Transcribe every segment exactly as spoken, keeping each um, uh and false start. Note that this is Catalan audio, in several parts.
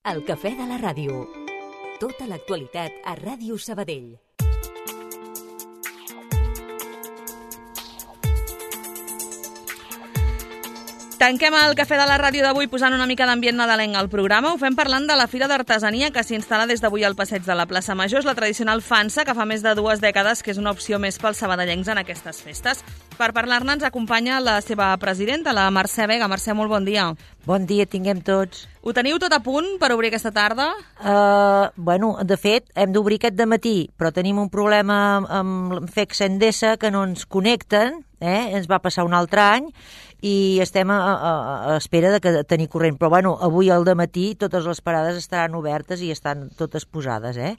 El cafè de la ràdio. Tota l'actualitat a Ràdio Sabadell. Tanquem el cafè de la ràdio d'avui posant una mica d'ambient nadalenc al programa. Ho fem parlant de la Fira d'Artesania que s'instal·la des d'avui al passeig de la plaça Major. És la tradicional fansa que fa més de dues dècades que és una opció més pels sabadellencs en aquestes festes. Per parlar-ne ens acompanya la seva presidenta, la Mercè Vega. Mercè, molt bon dia. Bon dia, tinguem tots. Ho teniu tot a punt per obrir aquesta tarda? Uh, bueno, de fet, hem d'obrir aquest dematí, però tenim un problema amb F E C Endesa que no ens connecten, eh? Ens va passar un altre any, i estem a, a, a espera de que tenir corrent. Però bueno, avui al dematí totes les parades estaran obertes i estan totes posades, eh?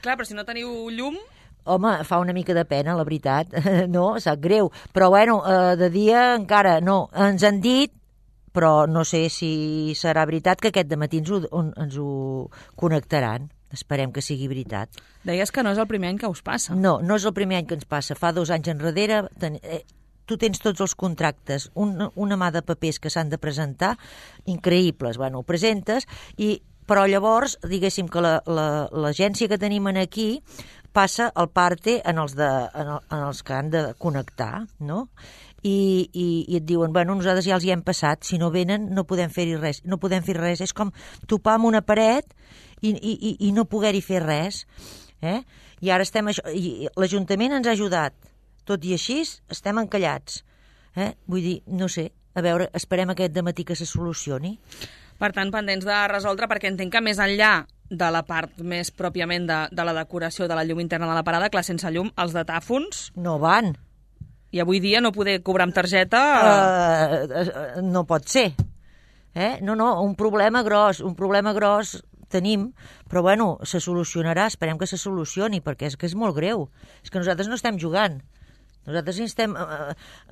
Clar, però si no teniu llum... Home, fa una mica de pena, la veritat. No, sap greu. Però bueno, eh, de dia encara no. Ens han dit, però no sé si serà veritat, que aquest dematí ens ho, ens ho connectaran. Esperem que sigui veritat. Deies que no és el primer any que us passa. No, no és el primer any que ens passa. Fa dos anys enrere... Ten... Eh, tu tens tots els contractes, un, una mà de papers que s'han de presentar, increïbles. Bueno, ho presentes, i, però llavors, diguéssim que l'agència la, la, que tenim aquí passa el parte en els, de, en, el, en els que han de connectar, no? I, i, i et diuen, bueno, nosaltres ja els hi hem passat, si no venen no podem fer-hi res, no podem fer res, és com topar amb una paret i, i, i no poder-hi fer res, eh? I ara estem, això, i l'Ajuntament ens ha ajudat, tot i així estem encallats, eh? Vull dir, no sé, a veure, esperem aquest dematí que se solucioni. Per tant, pendents de resoldre, perquè entenc que més enllà de la part més pròpiament de, de la decoració de la llum interna de la parada, clar, sense llum, els de tàfons... No van. I avui dia no poder cobrar amb targeta... Uh, uh, no pot ser. Eh? No, no, un problema gros, un problema gros tenim, però bueno, se solucionarà, esperem que se solucioni, perquè és que és molt greu. És que nosaltres no estem jugant. Nosaltres estem a,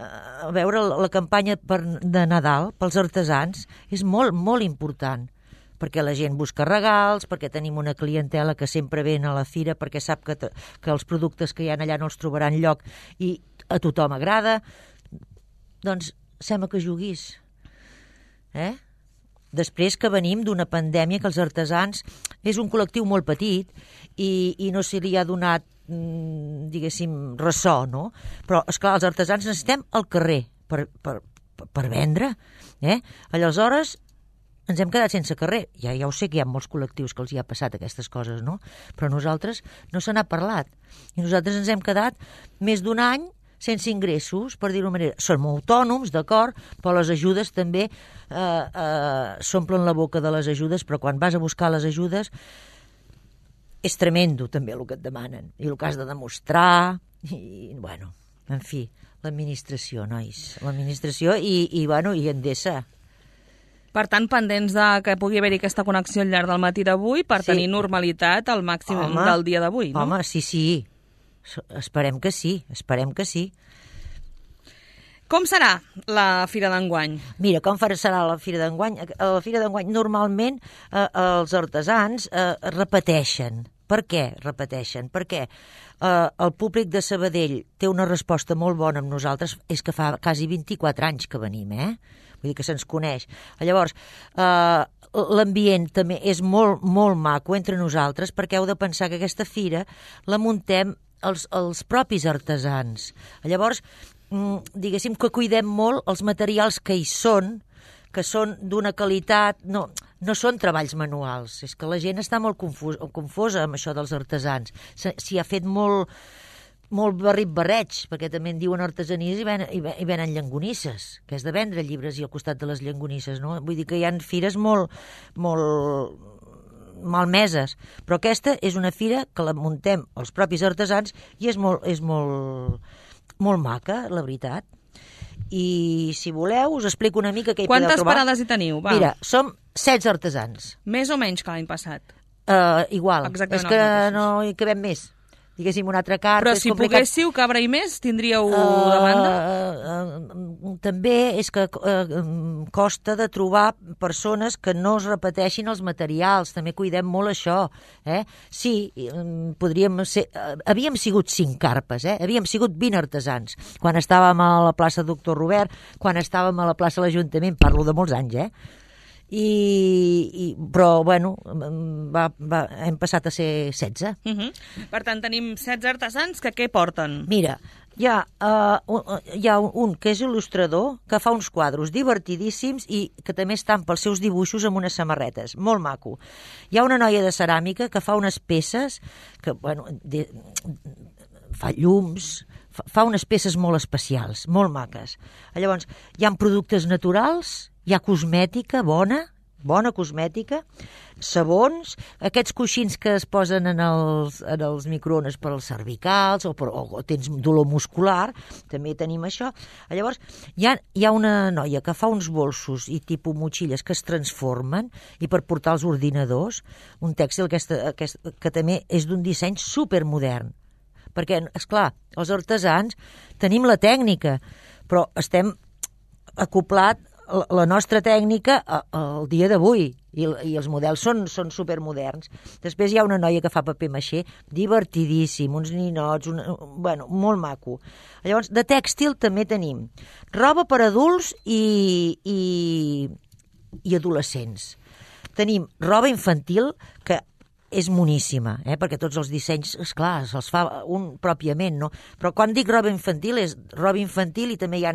a, a veure la campanya per, de Nadal pels artesans, és molt, molt important, perquè la gent busca regals, perquè tenim una clientela que sempre ven a la fira perquè sap que, que els productes que hi ha allà no els trobaran lloc i a tothom agrada. Doncs sembla que juguis. Eh? Després que venim d'una pandèmia que els artesans és un col·lectiu molt petit i, i no se li ha donat, diguéssim, ressò, no? Però, esclar, els artesans necessitem al carrer per, per, per vendre, eh? Aleshores, ens hem quedat sense carrer. Ja, ja ho sé que hi ha molts col·lectius que els hi ha passat aquestes coses, no? Però nosaltres no se n'ha parlat. I nosaltres ens hem quedat més d'un any sense ingressos, per dir-ho manera. Som autònoms, d'acord, però les ajudes també eh, eh, s'omplen la boca de les ajudes, però quan vas a buscar les ajudes és tremendo també el que et demanen i el que has de demostrar i, bueno, en fi, l'administració, nois, l'administració i, i, bueno, i Endesa. Per tant, pendents de que pugui haver-hi aquesta connexió al llarg del matí d'avui per sí. tenir normalitat al màxim home, del dia d'avui, no? Home, sí, sí, esperem que sí, esperem que sí. Com serà la Fira d'enguany? Mira, com serà la Fira d'enguany? A la Fira d'enguany normalment eh, els artesans eh, repeteixen. Per què repeteixen? Perquè eh, el públic de Sabadell té una resposta molt bona amb nosaltres, és que fa quasi vint-i-quatre anys que venim, eh? Vull dir que se'ns coneix. Llavors, eh, l'ambient també és molt, molt maco entre nosaltres, perquè heu de pensar que aquesta fira la muntem els, els propis artesans. Llavors, diguéssim que cuidem molt els materials que hi són, que són d'una qualitat, no, no són treballs manuals, és que la gent està molt confus, confosa amb això dels artesans, s'hi ha fet molt, molt barrit-barreig, perquè també en diuen artesanies i, ven, i, ven, i venen llangonisses, que és de vendre llibres i al costat de les llangonisses, no? Vull dir que hi ha fires molt, molt malmeses, però aquesta és una fira que la muntem els propis artesans i és molt, és molt molt maca, la veritat. I si voleu us explico una mica què hi podeu trobar. Quantes parades hi teniu? Va. Mira, som setze artesans. Més o menys que l'any passat? Uh, igual. Exactament. És que no hi cabem més. Diguéssim, una altra carta... Però si poguéssiu cabre i més, tindríeu uh, demanda? Uh, uh, també és que uh, costa de trobar persones que no es repeteixin els materials. També cuidem molt això. Eh? Sí, um, podríem ser... Uh, havíem sigut cinc carpes, eh? Havíem sigut vint artesans. Quan estàvem a la plaça Doctor Robert, quan estàvem a la plaça de l'Ajuntament, parlo de molts anys, eh? I, i, però, bueno, va, va, hem passat a ser setze. Uh -huh. Per tant, tenim setze artesans que què porten? Mira, hi ha, uh, un, hi ha un, un que és il·lustrador, que fa uns quadros divertidíssims i que també estan pels seus dibuixos amb unes samarretes, molt maco. Hi ha una noia de ceràmica que fa unes peces que, bueno, de, fa llums, fa, fa unes peces molt especials, molt maques. Llavors, hi ha productes naturals, hi ha cosmètica bona, bona cosmètica, sabons, aquests coixins que es posen en els, en els microones per als cervicals o, per, o tens dolor muscular, també tenim això. Llavors, hi ha, hi ha una noia que fa uns bolsos i tipus motxilles que es transformen i per portar els ordinadors, un tèxtil aquesta, aquesta, que també és d'un disseny supermodern. Perquè, esclar, els artesans tenim la tècnica, però estem acoplat la nostra tècnica al dia d'avui i, i els models són, són supermoderns. Després hi ha una noia que fa paper maixé divertidíssim, uns ninots, un, bueno, molt maco. Llavors, de tèxtil també tenim roba per adults i, i, i adolescents. Tenim roba infantil que és moníssima, eh? Perquè tots els dissenys, esclar, se'ls fa un pròpiament, no? Però quan dic roba infantil és roba infantil i també hi ha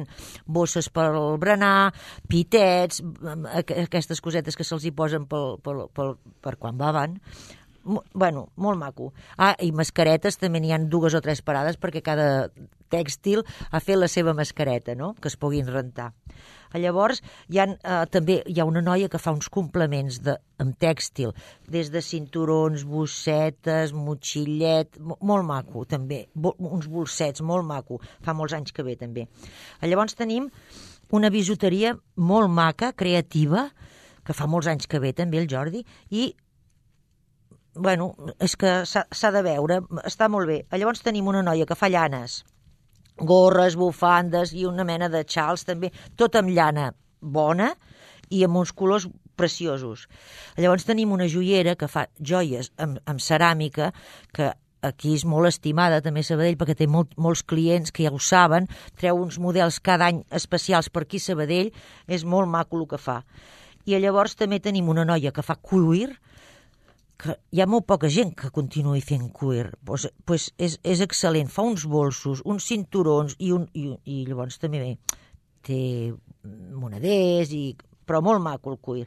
bosses per al berenar, pitets, aquestes cosetes que se'ls hi posen pel, pel, pel, per quan beven. Bueno, molt maco. Ah, i mascaretes també n'hi ha dues o tres parades perquè cada tèxtil ha fet la seva mascareta, no? Que es puguin rentar. Llavors, hi ha, eh, també hi ha una noia que fa uns complements de, amb tèxtil, des de cinturons, bossetes, motxillet, molt maco, també, Bo, uns bolsets, molt maco, fa molts anys que ve, també. Llavors tenim una bisuteria molt maca, creativa, que fa molts anys que ve, també, el Jordi, i bueno, és que s'ha de veure, està molt bé. Llavors tenim una noia que fa llanes, gorres, bufandes i una mena de xals també, tot amb llana bona i amb uns colors preciosos. Llavors tenim una joiera que fa joies amb, amb ceràmica, que aquí és molt estimada també a Sabadell perquè té molt, molts clients que ja ho saben, treu uns models cada any especials per aquí a Sabadell, és molt maco el que fa. I llavors també tenim una noia que fa cuir, que hi ha molt poca gent que continuï fent cuir, pues, pues és, és excel·lent, fa uns bolsos, uns cinturons i, un, i, i llavors també té moneders i però molt maco el cuir.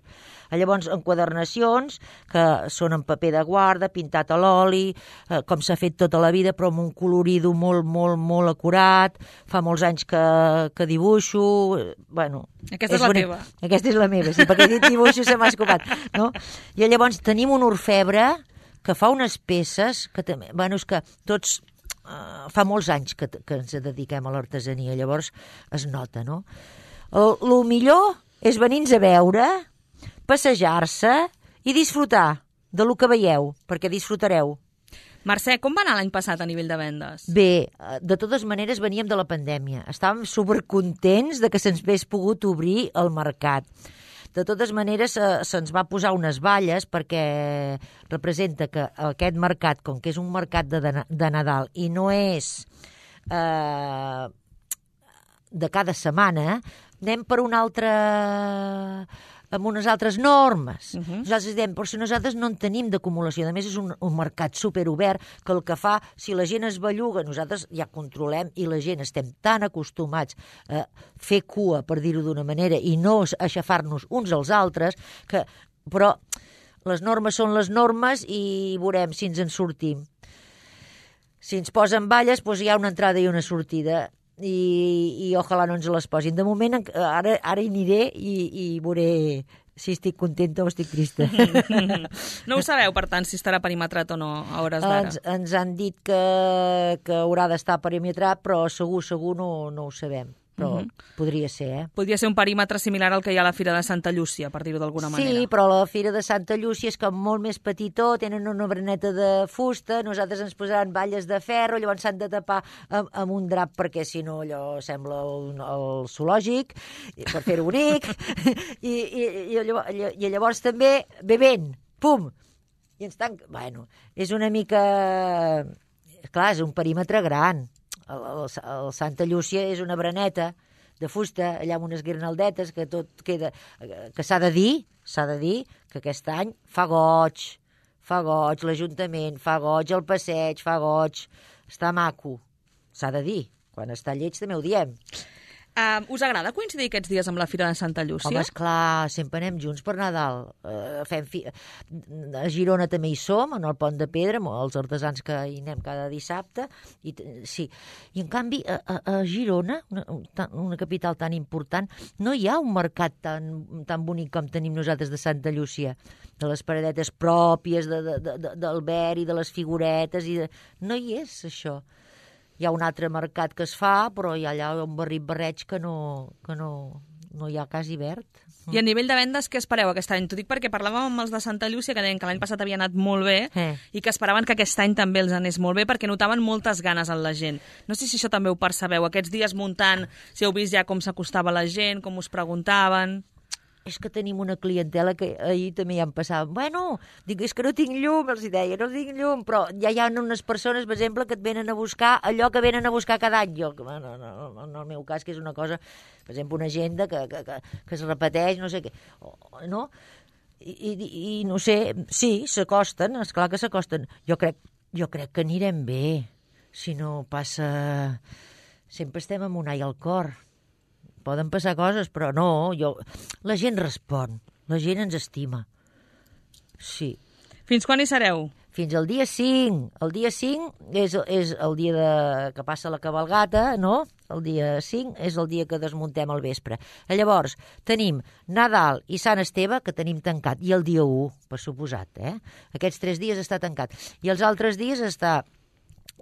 Llavors, enquadernacions, que són en paper de guarda, pintat a l'oli, eh, com s'ha fet tota la vida, però amb un colorido molt, molt, molt acurat. Fa molts anys que, que dibuixo. Bueno, aquesta és, és la bonic. Teva. Aquesta és la meva, sí, perquè dit dibuixo se m'ha escopat. No? I llavors tenim un orfebre que fa unes peces, que també, bueno, és que tots... Uh, fa molts anys que, que ens dediquem a l'artesania, llavors es nota, no? El, el millor és venir-nos a veure, passejar-se i disfrutar de lo que veieu, perquè disfrutareu. Mercè, com va anar l'any passat a nivell de vendes? Bé, de totes maneres veníem de la pandèmia. Estàvem supercontents de que se'ns hagués pogut obrir el mercat. De totes maneres, eh, se'ns va posar unes valles perquè representa que aquest mercat, com que és un mercat de, de Nadal i no és eh, de cada setmana, anem per una altra... amb unes altres normes. Uh -huh. Nosaltres diem, però si nosaltres no en tenim d'acumulació. A més, és un, un mercat superobert que el que fa, si la gent es belluga, nosaltres ja controlem i la gent estem tan acostumats a fer cua, per dir-ho d'una manera, i no a aixafar-nos uns als altres, que, però les normes són les normes i veurem si ens en sortim. Si ens posen valles, doncs hi ha una entrada i una sortida. I, i ojalà no ens les posin. De moment, ara, ara hi aniré i, i veuré si estic contenta o estic trista. No ho sabeu, per tant, si estarà perimetrat o no a hores d'ara? Ens, ens han dit que, que haurà d'estar perimetrat, però segur, segur no, no ho sabem. Però uh-huh. podria ser, eh? Podria ser un perímetre similar al que hi ha a la Fira de Santa Llúcia, per dir-ho d'alguna manera. Sí, però la Fira de Santa Llúcia és com molt més petitó, tenen una braneta de fusta, nosaltres ens posaran valles de ferro, llavors s'han de tapar amb, amb un drap perquè si no allò sembla un, el zoològic, per fer-ho bonic, i, i, i, llavors, i llavors també bevent, pum, i ens tanca... Bueno, és una mica... Clar, és un perímetre gran. El, el, el Santa Llúcia és una braneta de fusta, allà amb unes guirnaldetes, que tot queda... Que s'ha de dir, s'ha de dir que aquest any fa goig, fa goig l'Ajuntament, fa goig el passeig, fa goig, està maco, s'ha de dir. Quan està lleig també ho diem. Uh, us agrada coincidir aquests dies amb la Fira de Santa Llúcia? Home, esclar, sempre anem junts per Nadal. Uh, fem fi... A Girona també hi som, en el Pont de Pedra, els artesans que hi anem cada dissabte. I, sí. I en canvi, a, a, a Girona, una, una capital tan important, no hi ha un mercat tan, tan bonic com tenim nosaltres de Santa Llúcia, de les paradetes pròpies, de, de, de, del verd i de les figuretes. I de... No hi és, això. Hi ha un altre mercat que es fa, però hi ha allà un barrit-barreig que, no, que no, no hi ha quasi verd. I a nivell de vendes, què espereu aquest any? T'ho dic perquè parlàvem amb els de Santa Llúcia, que deien que l'any passat havia anat molt bé eh. i que esperaven que aquest any també els anés molt bé perquè notaven moltes ganes en la gent. No sé si això també ho percebeu, aquests dies muntant, si heu vist ja com s'acostava la gent, com us preguntaven... És que tenim una clientela que ahir també ja em passava. Bueno, dic, és que no tinc llum, els deia, no tinc llum, però ja hi ha unes persones, per exemple, que et venen a buscar allò que venen a buscar cada any. Jo, no, no, no, en el meu cas, que és una cosa, per exemple, una agenda que, que, que, que es repeteix, no sé què, no? I, i, i no sé, sí, s'acosten, esclar que s'acosten. Jo crec, jo crec que anirem bé, si no passa... Sempre estem amb un ai al cor. Poden passar coses, però no, jo... La gent respon, la gent ens estima. Sí. Fins quan hi sereu? Fins al dia cinc. El dia cinc és, és el dia de, que passa la cabalgata, no? El dia cinc és el dia que desmuntem al vespre. Llavors, tenim Nadal i Sant Esteve, que tenim tancat, i el dia u, per suposat, eh? Aquests tres dies està tancat. I els altres dies està...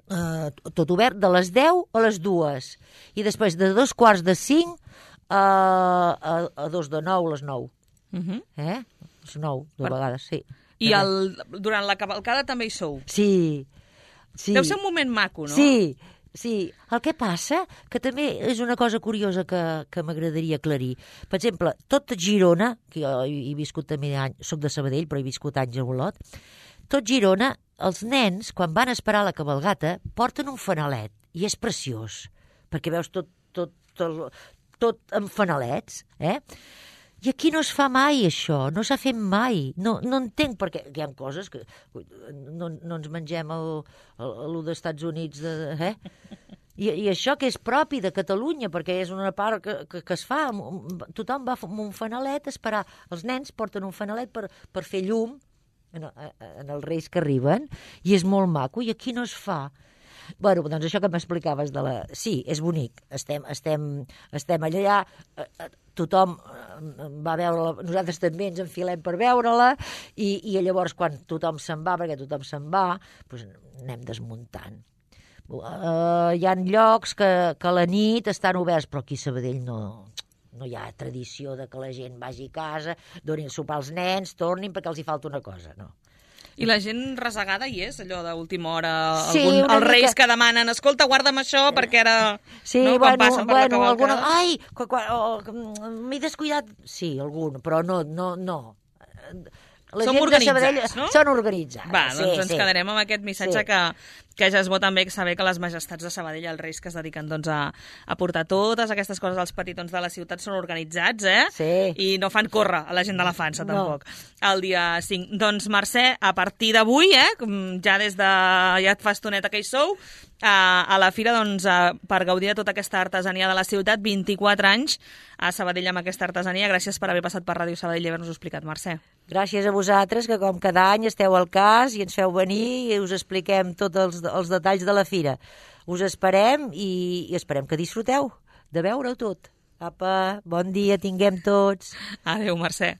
Uh, tot obert de les deu a les dues i després de dos quarts de cinc uh, a, a dos de nou a les nou. Uh -huh. Eh? És nou, de per... vegades, sí. I el, durant la cavalcada també hi sou? Sí. sí. Deu ser un moment maco, no? Sí, sí. El que passa, que també és una cosa curiosa que, que m'agradaria aclarir. Per exemple, tot Girona, que jo he, he viscut també anys, soc de Sabadell, però he viscut anys a Olot, tot Girona, els nens, quan van a esperar la cabalgata, porten un fanalet, i és preciós, perquè veus tot, tot, tot, tot amb fanalets, eh? I aquí no es fa mai, això, no s'ha fet mai. No, no entenc, perquè hi ha coses que no, no ens mengem el, el, el dels Estats Units, de, eh? I, I això que és propi de Catalunya, perquè és una part que, que, que es fa, tothom va amb un fanalet a esperar. Els nens porten un fanalet per, per fer llum, En, en els reis que arriben, i és molt maco, i aquí no es fa. Bueno, doncs això que m'explicaves de la... Sí, és bonic, estem, estem, estem allà, tothom va veure-la, nosaltres també ens enfilem per veure-la, i, i llavors quan tothom se'n va, perquè tothom se'n va, doncs anem desmuntant. Uh, hi ha llocs que, que a la nit estan oberts, però aquí a Sabadell no... No hi ha tradició de que la gent vagi a casa, donin sopar als nens, tornin perquè els hi falta una cosa, no. I la gent resagada hi és, allò d'última hora, sí, algun, els reis mica... que demanen, escolta, guarda'm això, perquè ara... Sí, no, bueno, passen per bueno, la alguna... Ai, oh, m'he descuidat... Sí, algun, però no, no, no. La Som gent organitzats, de Sabadell no? Són organitzats. Va, doncs sí, ens sí. quedarem amb aquest missatge sí. que, que ja és bo també saber que les majestats de Sabadell, els reis que es dediquen doncs, a, a portar totes aquestes coses als petitons de la ciutat són organitzats, eh? Sí. I no fan córrer a la gent de la Fansa, no. tampoc. El dia cinc. Doncs, Mercè, a partir d'avui, eh, ja des de... ja fa estoneta que hi sou, a, a la fira, doncs, a, per gaudir de tota aquesta artesania de la ciutat, vint-i-quatre anys a Sabadell amb aquesta artesania. Gràcies per haver passat per Ràdio Sabadell i haver-nos explicat, Mercè. Gràcies a vosaltres, que com cada any esteu al cas i ens feu venir i us expliquem tots els, els detalls de la fira. Us esperem i, i esperem que disfruteu de veure-ho tot. Apa, bon dia tinguem tots. Adéu, Mercè.